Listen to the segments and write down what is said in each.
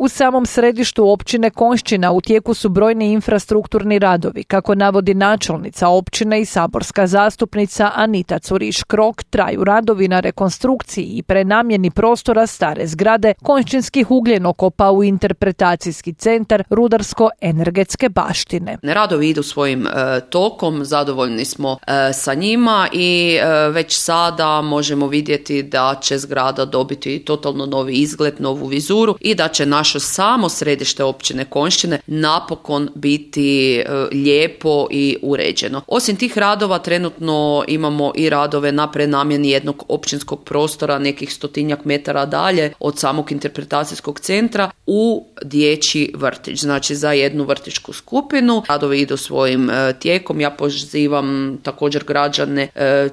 U samom središtu općine Konjšćina u tijeku su brojni infrastrukturni radovi. Kako navodi načelnica općine i saborska zastupnica Anita Curiš-Krok, traju radovi na rekonstrukciji i prenamjeni prostora stare zgrade konjšćinskih ugljenokopa u interpretacijski centar rudarsko-energetske baštine. Radovi idu svojim tokom, zadovoljni smo sa njima i već sada možemo vidjeti da će zgrada dobiti totalno novi izgled, novu vizuru i da će naše samo središte općine Konjšćine napokon biti lijepo i uređeno. Osim tih radova trenutno imamo i radove na prenamjeni jednog općinskog prostora nekih 100 metara dalje od samog interpretacijskog centra u dječji vrtić, znači za jednu vrtićku skupinu. Radovi idu svojim tijekom. Ja pozivam također građane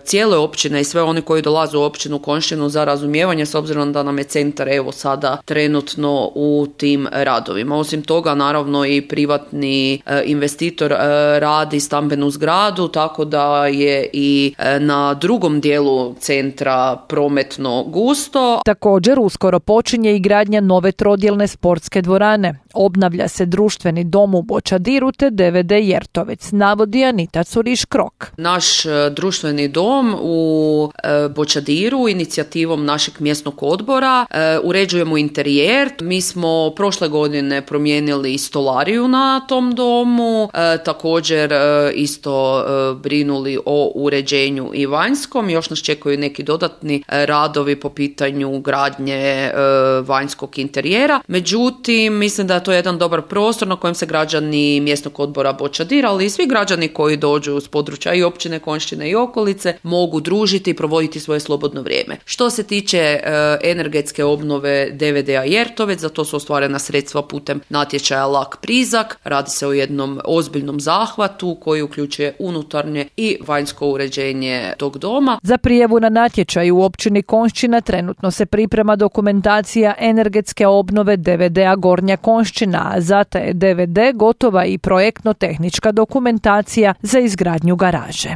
cijele općine i sve one koji dolaze u općinu Konjšćinu za razumijevanje, s obzirom da nam je centar evo sada trenutno u tim radovima. Osim toga, naravno i privatni investitor radi stambenu zgradu, tako da je i na drugom dijelu centra prometno gusto. Također uskoro počinje i gradnja nove trodjelne sportske dvorane. Obnavlja se društveni dom u Bočadiru te DVD Jertovec, navodi Anita Curiš-Krok. Naš društveni dom u Bočadiru inicijativom našeg mjesnog odbora uređujemo interijer. Mi smo prošle godine promijenili stolariju na tom domu, također isto brinuli o uređenju i vanjskom. Još nas čekaju neki dodatni radovi po pitanju gradnje vanjskog interijera. Međutim, mislim da je to jedan dobar prostor na kojem se građani mjesnog odbora Bočadira, ali i svi građani koji dođu s područja i općine Konjšćine i okolice mogu družiti i provoditi svoje slobodno vrijeme. Što se tiče energetske obnove DVD-a Jertovec, za to su ostvarena sredstva putem natječaja Lak Prizak. Radi se o jednom ozbiljnom zahvatu koji uključuje unutarnje i vanjsko uređenje tog doma. Za prijavu na natječaj u općini Konjšćina trenutno se priprema dokumentacija energetske obnove DVD-a Gornja Konjšćina, a za taj DVD gotova i projektno-tehnička dokumentacija za izgradnju garaže.